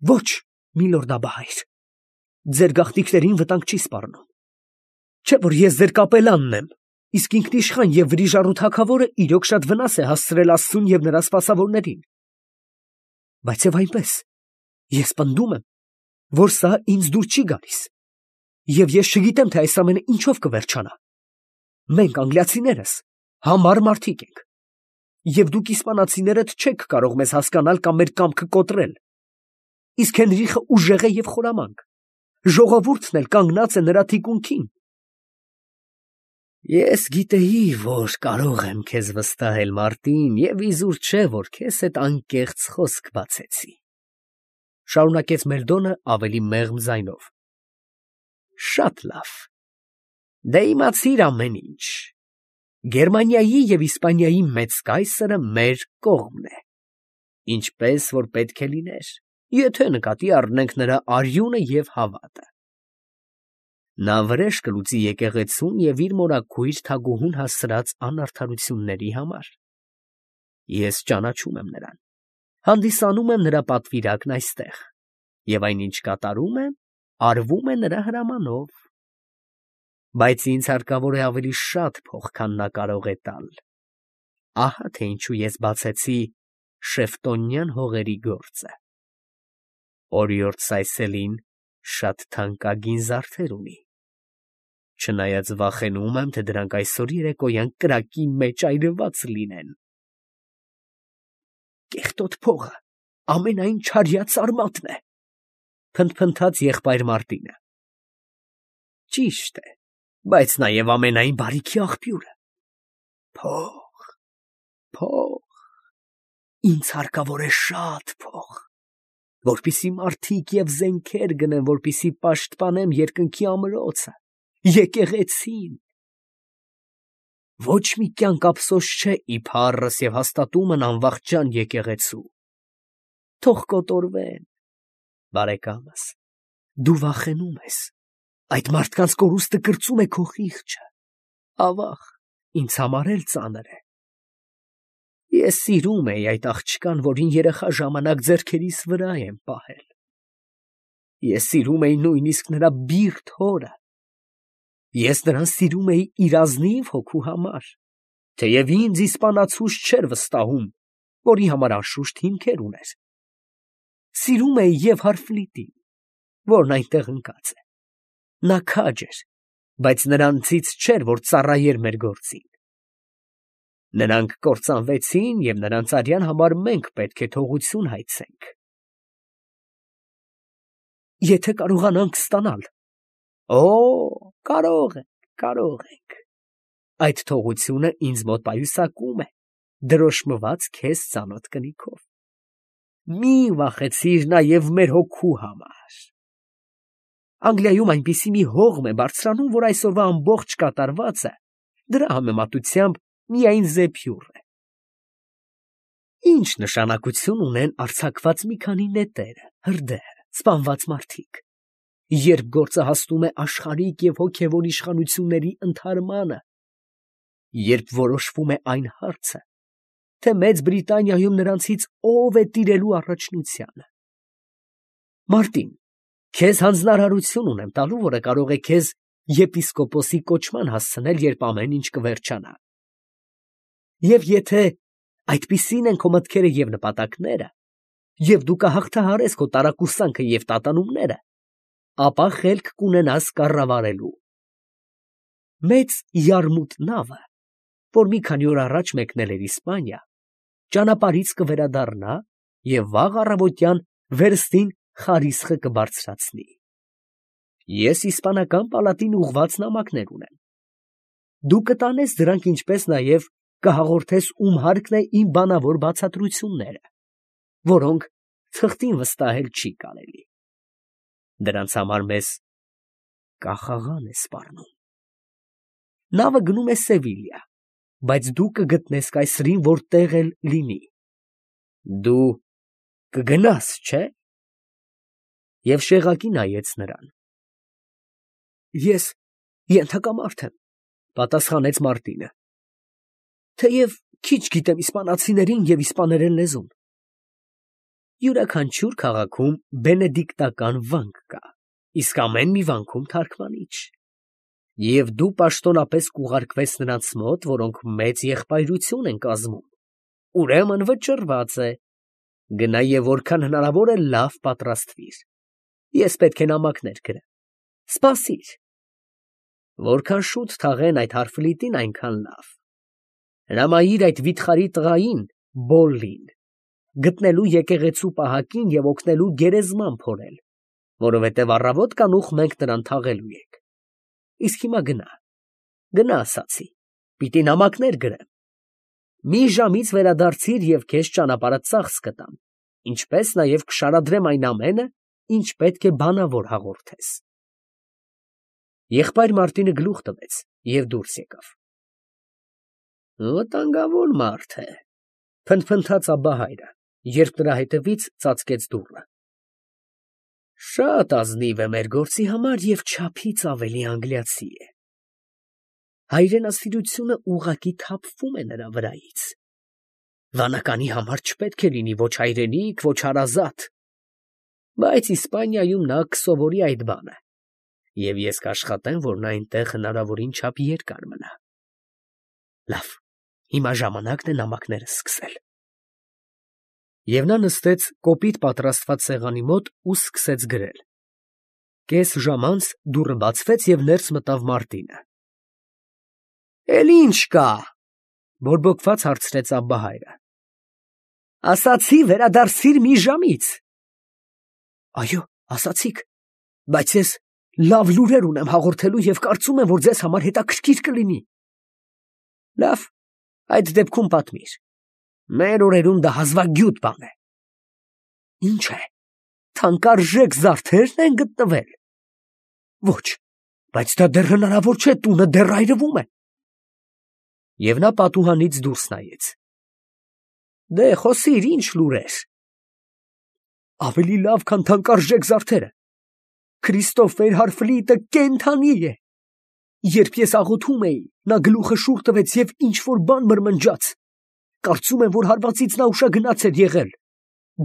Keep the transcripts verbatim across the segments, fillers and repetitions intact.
Ոչ, միլորդ Աբահայր, ձեր գաղտնիքներին վտանգ չի սպառնում, չէ՞ որ ես ձեր կապելանն եմ, իսկ ինքնիշխան և վրիժառու թագավորը իրոք շատ վնաս է հասցրել Աստծուն և նրա սպասավորներին, բայց և այնպես, ես պնդում եմ, որ սա ինձ դուր չի գալիս, և ես չգիտեմ, թե այս ամենը ինչով կվերջանա. մենք անգլիացիներս համառ մարդիկ ենք, և դուք իսպանացիներդ չեք կարող մեզ հասկանալ կամ մեր կամքը կոտրել, իսկ Հենրիխը ուժեղ է և խորամանկ, ժողովուրդն էլ կանգնած է նրա թիկունքին։ Ես գիտեի, որ կարող եմ քեզ վստահել, Մարտին, և իզուր չէ, որ քեզ հետ անկեղծ խոսք բացեցի, շարունակեց Մելդոնը ավելի մեղմ ձայնով։ Շատ լավ, դե իմացիր ամեն ինչ, Գերմանիայի և Իսպանիայի մեծ կայսրը մեր կողմն է, ինչպես որ պետք է լիներ, եթե նկատի առնենք նրա արյունը և հավատը։ Նա վրեժ կլուծի եկեղեցուն և իր մորաքույր թագուհուն հասցրած անարդարությունների համար։ Ես ճանաչում եմ նրան, հանդիսանում եմ նրա պատվիրակն այստեղ, և այնինչ կատարում եմ, արվում է նրա հրամանով, բայց ինձ հարկավոր է ավելի շատ փող, քան նա կարող է տալ։ Ահա թե ինչու ես բացեցի Շեֆտոնյան հողերի գործը։ Օրիորդ Սայսելին շատ թանկագին զարդեր ունի, չնայած վախենում եմ, թե դրանք այսօր երեկոյան կրակի մեջ այրված լինեն։ Կեղտոտ փողը ամենայն չարյաց արմատն է, փնթփնթաց եղբայր Մարտինը։ Ճիշտ է, բայց նաև ամենայն բարիքի աղբյուրը։ Փող, փող, ինձ հարկավոր է շատ փող, որպեսզի մարդիկ և զենքեր գնեմ, որպեսզի պաշտպանեմ երկնքի ամրոցը, եկեղեցին։ Ոչ մի կյանք ափսոս չէ ի փառս և հաստատումն անվախճան եկեղեցու։ Թող կոտորվեն, բարեկամս, դու վախենում ես, այդ մարդկանց կորուստը կրծում է քո խիղճը, ավաղ, ինձ համար էլ ծանր է։ Ես սիրում էի այդ աղջկան, որին երեխա ժամանակ ձեռքերիս վրա եմ պահել։ Ես սիրում էի նույնիսկ նրա բիրտ հորը։ Ես նրան սիրում էի իր ազնիվ հոգու համար, թեև ինձ իսպանացուս չէր վստահում, որի համար անշուշտ հիմքեր ուներ։ Սիրում էի և Հարֆլիտին, որն այնտեղ ընկած է։ Նա քաջ էր, բայց նրանցից չէր, որ ծառայեր մեր գործին։ Նրանք կործանվեցին, և նրանց արյան համար մենք պետք է թողություն հայցենք։ Եթե կարողանանք ստանալ։ Օ, կարող ենք, կարող ենք։ Այդ թողությունը ինձ մոտ պայուսակում է, դրոշմված քեզ ծանոթ կնիքով։ Մի վախեցիր նաև մեր հոգու համար։ Անգլիայում այնպիսի մի հողմ է բարձրանում, որ այսօրվա ամբողջ կատարվածը դրա համեմատությամբ միայն զեփյուռ է։ Ինչ նշանակություն ունեն արձակված մի քանի նետերը, հրդեհը, սպանված մարդիկ, երբ գործը հասնում է աշխարհիկ և հոգևոր իշխանությունների ընդհարմանը, երբ որոշվում է այն հարցը, թե Մեծ Բրիտանիայում նրանցից ով է տիրելու առաջնությանը։ Մարտին, քեզ հանձնարարություն ունեմ տալու, որը կարող է քեզ եպիսկոպոսի կոչման հասցնել, երբ ամեն ինչ կվերջանա։ Եվ եթե այդպիսին են քո մտքերը և նպատակները, և դու կհաղթահարես քո տարակուսանքը և տատանումները, ապա խելք կունենաս կառավարելու։ Մեծ Յարմութ նավը, որ մի քանի օր առաջ մեկնել էր Իսպանիա, ճանապարհից կվերադառնա և վաղ առավոտյան վերստին Խարիսխը կբարձրացնի։ Ես իսպանական պալատին ուղղված նամակներ ունեմ։ Դու կտանես դրանք, ինչպես նաև կհաղորդես, ում հարկն է իմ բանավոր բացատրությունները, որոնք թղթին վստահել չի կարելի։ Դրանց համար մեզ կախաղան է սպառնում։ Նավը գնում է Սևիլիա, բայց դու կգտնես կայսրին որտեղ էլ լինի։ Դու կգնաս, չէ՞։ Եվ շեղակի նայեց նրան։ Ես ենթակամարդ եմ, պատասխանեց Մարտինը, թեև քիչ գիտեմ իսպանացիներին և իսպաներեն լեզուն։ Յուրաքանչյուր քաղաքում բենեդիկտական վանք կա, իսկ ամեն մի վանքում թարգմանիչ։ Եվ դու պաշտոնապես կուղարկվես նրանց մոտ, որոնք մեծ եղբայրություն են կազմում, ուրեմն վճռված է, գնա և որքան հնարավոր է լավ պատրաստվիր, ես պետք է նամակներ գրեմ, սպասիր, որքան շուտ թաղեն այդ հարֆլիտին, այնքան լավ, հրամայիր այդ վիթխարի տղային Բոլլին գտնելու եկեղեցու պահակին և օգնելու գերեզման փորել, որովհետև առավոտ կանուխ մենք նրան թաղելու ենք, իսկ հիմա գնա, գնա ասացի, պիտի նամակներ գրեմ, մի ժամից վերադարձիր և քեզ ճանապարհը ծախս կտամ, ինչպես նաև կշարադրեմ այն ամենը, ինչ պետք է բանավոր հաղորդես։ Եղբայր Մարտինը գլուխ տվեց և դուրս եկավ։ Վտանգավոր մարդ է, փնթփնթաց Աբբահայրը, երբ նրա հետևից ծածկեց դուռը։ Շատ ազնիվ է մեր գործի համար և չափից ավելի անգլիացի է։ Հայրենասիրությունը ուղղակի թափվում է նրա վրայից։ Վանականի համար չպետք է լինի ոչ հայրենիք, ոչ հարազատ, բայց Իսպանիայում նա կսովորի այդ բանը, և ես կաշխատեմ, որ նա այնտեղ հնարավորին չափ երկար մնա։ Լավ, հիմա ժամանակն է նամակները սկսել։ Եվ նա նստեց կոպիտ պատրաստված սեղանի մոտ ու սկսեց գրել։ Կես ժամ անց դուռը բացվեց և ներս մտավ Մարտինը։ Էլ ի՞նչ կա, բորբոքված հարցրեց Աբբահայրը։ Ասացի վերադարձիր մի ժամից։ Այո, ասացիք, բայց ես լավ լուրեր ունեմ հաղորդելու և կարծում եմ, որ ձեզ համար հետաքրքիր կլինի։ Լավ, այդ դեպքում պատմիր։ Մեր օրերում դա հազվագյուտ բան է։ Ինչ է, թանկարժեք զարդերն են գտնվել։ Ոչ, բայց դա դեռ հնարավոր չէ, տունը դեռ այրվում է։ Եվ նա պատուհանից դուրս նայեց։ Դե խոսիր, ինչ լուրեր։ Ավելի լավ, քան թանկարժեք զարդերը։ Քրիստոֆեր Հարֆլիտը կենդանի է։ Երբ ես աղոթում էի, նա գլուխը շուռ տվեց և ինչ-որ բան մրմնջաց։ Կարծում եմ, որ հարվածից նա ուշագնաց էր եղել։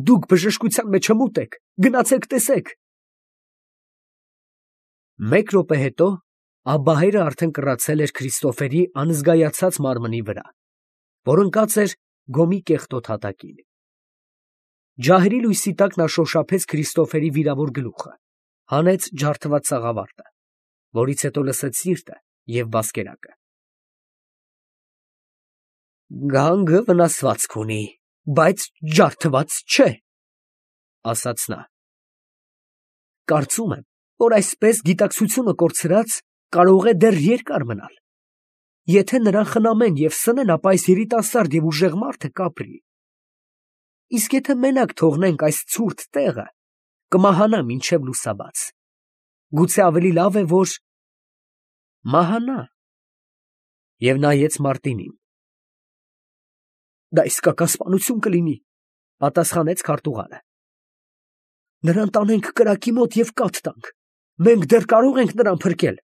Դուք բժշկության մեջ հմուտ եք, գնացեք տեսեք։ Մեկ րոպե հետո Աբբահայրը արդեն կռացել էր Քրիստոֆերի անզգայացած մարմնի վրա, որ ընկած էր գոմի կեղտոտ հատակին։ Ջահերի լույսի տակ նա շոշափեց Քրիստոֆերի վիրավոր գլուխը, հանեց ջարդված սաղավարտը, որից հետո լսեց սիրտը և բասկերակը։ Գանգը վնասվածք ունի, բայց ջարդված չէ, ասաց նա։ Կարծում եմ, որ այսպես գիտակցությունը կորցրած կարող է դեռ երկար մնալ։ Եթե նրան խնամեն և սնեն, ապա այս երիտասարդ և ուժեղ մարդը կապրի։ Իսկ եթե մենակ թողնենք այս ցուրտ տեղը, կմահանա մինչև լուսաբաց։ Գուցե ավելի լավ է, որ մահանա։ Եվ նայեց Մարտինին։ Դա իսկական սպանություն կլինի, պատասխանեց քարտուղարը։ Նրան տանենք կրակի մոտ և կաթ տանք։ Մենք դեռ կարող ենք նրան փրկել։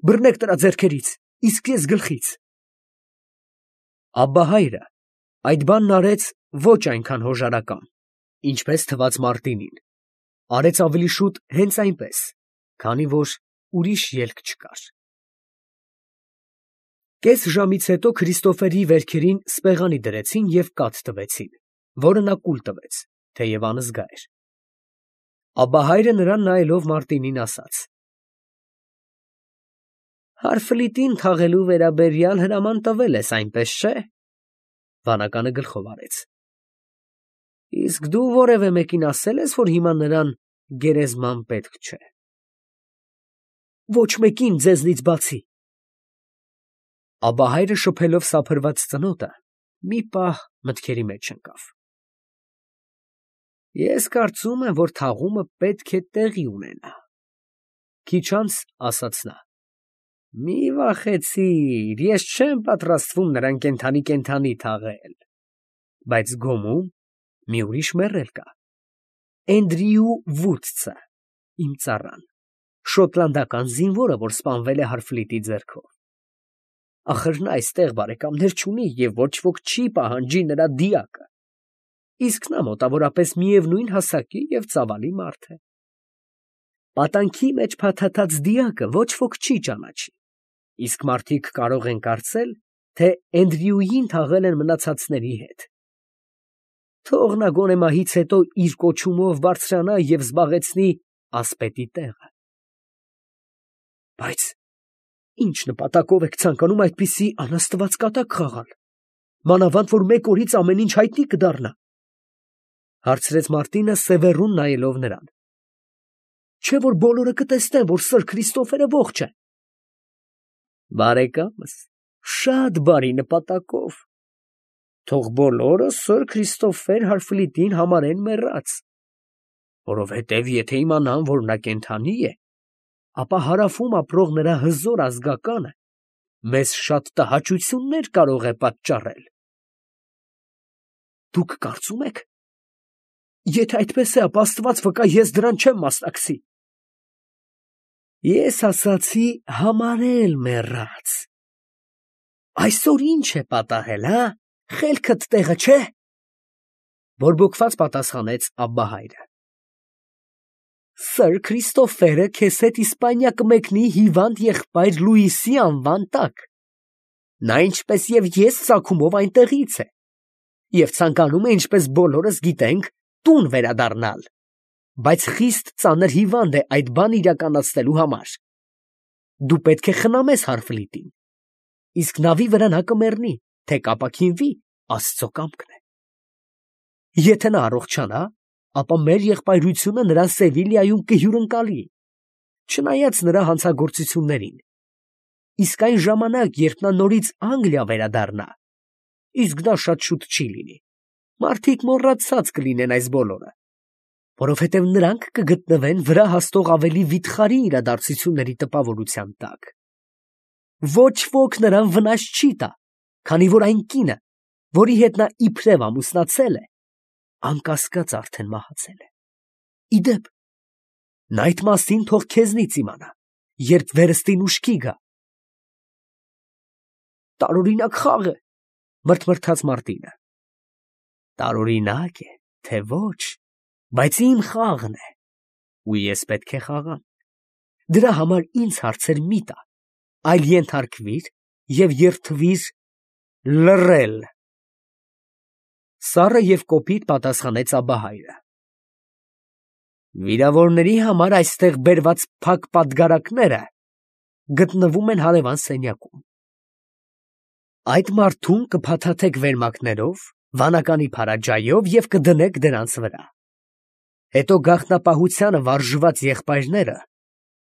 Բռնեք նրա ձեռքերից, իսկ ես գլխից։ Աբբահայրը այդ բանն արեց ոչ այնքան հոժարական, ինչպես թվաց Մարտինին, արեց ավելի շուտ հենց այնպես, քանի որ ուրիշ ելք չկար։ Կես ժամից հետո Քրիստոֆերի վերքերին սպեղանի դրեցին և կաթ տվեցին, որը նա կուլ տվեց, թեև անզգա էր։ Աբբահայրը նրան նայելով Մարտինին ասաց. Հարֆլիտին թաղելու վերաբերյալ հրաման տվել ես, այնպես չէ։ Վանականը գլխով արեց։ Իսկ դու որևէ մեկին ասել ես, որ հիմա նրան գերեզման պետք չէ։ Ոչ մեկին ձեզնից բացի։ Աբբահայրը շփելով սափրված ծնոտը, մի պահ մտքերի մեջ ընկավ։ Ես կարծում եմ, որ թաղումը պետք է տեղի ունենա։ Քիչ անց ասաց նա. Մի վախեցիր, ես չեմ պատրաստվում նրան կենդանի֊կենդանի թաղել, բայց Գոմում մի ուրիշ մեռել կա։ Էնդրյու Վուդսը, իմ ծառան, շոտլանդական զինվորը, որ սպանվել է Հարֆլիտի ձեռքով։ Ախր նա այստեղ բարեկամներ չունի և ոչ ոք չի պահանջի նրա դիակը։ իսկ նա մոտավորապես միևնույն հասակի և ծավալի մարդ է։ Պատանքի մեջ փաթաթած դիակը ոչ ոք չի ճանաչի, իսկ մարդիկ կարող են կարծել, թե Էնդրյուին թաղել են մնացածների հետ։ Թող նա գոնե մահից հետո իր կոչումով բարձրանա և զբաղեցնի ասպետի տեղը։ Բայց ինչ նպատակով եք ցանկանում այդպիսի անաստված կատակ խաղալ, մանավանդ որ մեկ օրից ամեն ինչ հայտնի կդառնա, հարցրեց Մարտինը սևեռուն նայելով նրան։ Չէ՞ որ բոլորը կտեսնեն, որ սըր Քրիստոֆերը ողջ է։ Բարեկամս, շատ բարի նպատակով։ Թող բոլորը սըր Քրիստոֆեր Հարֆլիտին համարեն մեռած, որովհետև եթե իմանան, որ նա կենդանի է, ապա հարավում ապրող նրա հզոր ազգականը մեզ շատ տհաճություններ կարող է պատճառել։ Դուք կարծում եք, եթե այդպես է, ապա Աստված վկա, ես դրան չեմ մասնակցի։ Ես ասացի համարել մեռած։ Այսօր ինչ է պատահել, հա, խելքդ տեղը չէ։ Բորբոքված պատասխանեց Աբբահայրը։ Սըր Քրիստոֆերը քեզ հետ Իսպանիա կմեկնի հիվանդ եղբայր Լուիսի անվան տակ։ Նա ինչպես և ես ծագումով այնտեղից է և ցանկանում է, ինչպես բոլորս գիտենք, տուն վերադառնալ, բայց խիստ ծանր հիվանդ է այդ բանը իրականացնելու համար։ Դու պետք է խնամես Հարֆլիտին, իսկ նավի վրա նա կմեռնի, թե կապաքինվի, Աստծո կամքն է։ Եթե նա առողջանա, ապա մեր եղբայրությունը նրան Սևիլիայում կհյուրընկալի, չնայած նրա հանցագործություններին, իսկ այն ժամանակ, երբ նա նորից Անգլիա վերադառնա, իսկ դա շատ շուտ չի լինի, մարդիկ մոռացած կլինեն այս բոլորը, որովհետև նրանք կգտնվեն վրա հասնող ավելի վիթխարի իրադարձությունների տպավորության տակ։ Ոչ ոք նրան վնաս չի տա, քանի որ այն կինը, որի հետ նա իբրև ամուսնացել է, անկասկած արդեն մահացել է։ Իդեպ, նա այդ մասին թող քեզնից իմանա, երբ վերստին ուշքի գա։ Տարօրինակ խաղ է, մրթմրթաց Մարտինը։ Տարօրինակ է, թե ոչ, բայց իմ խաղն է, ու ես պետք է խաղամ։ Դրա համար ինձ հարցեր մի տա, այլ ենթարկվիր և երդվիր լռել։ Սառը և կոպիտ պատասխանեց Աբբահայրը։ Վիրավորների համար այստեղ բերված փակ պատգարակները գտնվում են հարևան սենյակում։ Այդ մարդուն կփաթաթեք վերմակներով, վանականի փարաջայով և կդնեք դրանց վրա։ Հետո գաղտնապահությանը վարժված եղբայրները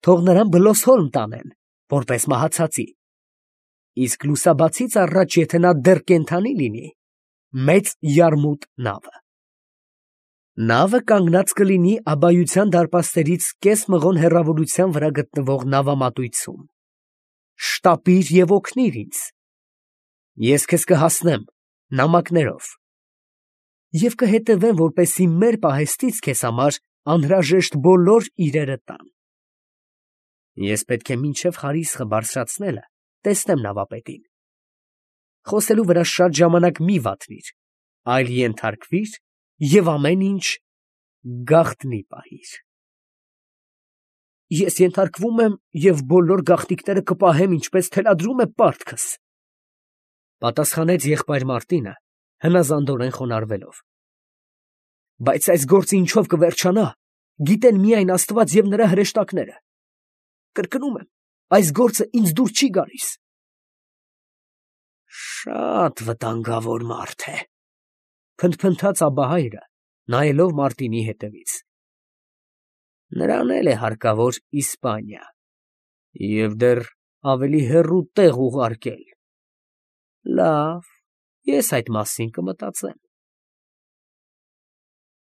թող նրան Բլոսհոլմ տանեն, որպես մահացածի, իսկ լուսաբացից առաջ, եթե նա դեռ կենդանի լինի, մեծ յարմուտ նավը։ Նավը կանգնած կլինի Աբբայության դարպասներից կես մղոն հեռավորության վրա գտնվող նավամատույցում։ Շտապիր և օգնիր ինձ։ Ես քեզ կհասնեմ նամակներով և կհետևեմ, որպեսզի մեր պահեստից քեզ համար անհրաժեշտ բոլոր իրերը տամ։ Ես պետք է մինչև Խարիսխը բարձրացնելը տեսնեմ նավապետին։ Խոսելու վրա շատ ժամանակ մի վատնիր, այլ ենթարկվիր և ամեն ինչ գաղտնի պահիր։ Ես ենթարկվում եմ և բոլոր գաղտնիքները կպահեմ, ինչպես թելադրում է պարտքս, պատասխանեց եղբայր Մարտինը, հնազանդորեն խոնարհվելով։ Բայց այս գործը ինչով կվերջանա, գիտեն միայն Աստված և նրա հրեշտակները։ Կրկնում եմ, այս գործը ինձ դուր չի գալիս։ Շատ վտանգավոր մարդ է, փնթփնթաց Աբբահայրը, նայելով Մարտինի հետևից։ Նրան էլ է հարկավոր Իսպանիա և դեռ ավելի հեռու տեղ ուղարկել։ Լավ, ես այդ մասին կմտածեմ։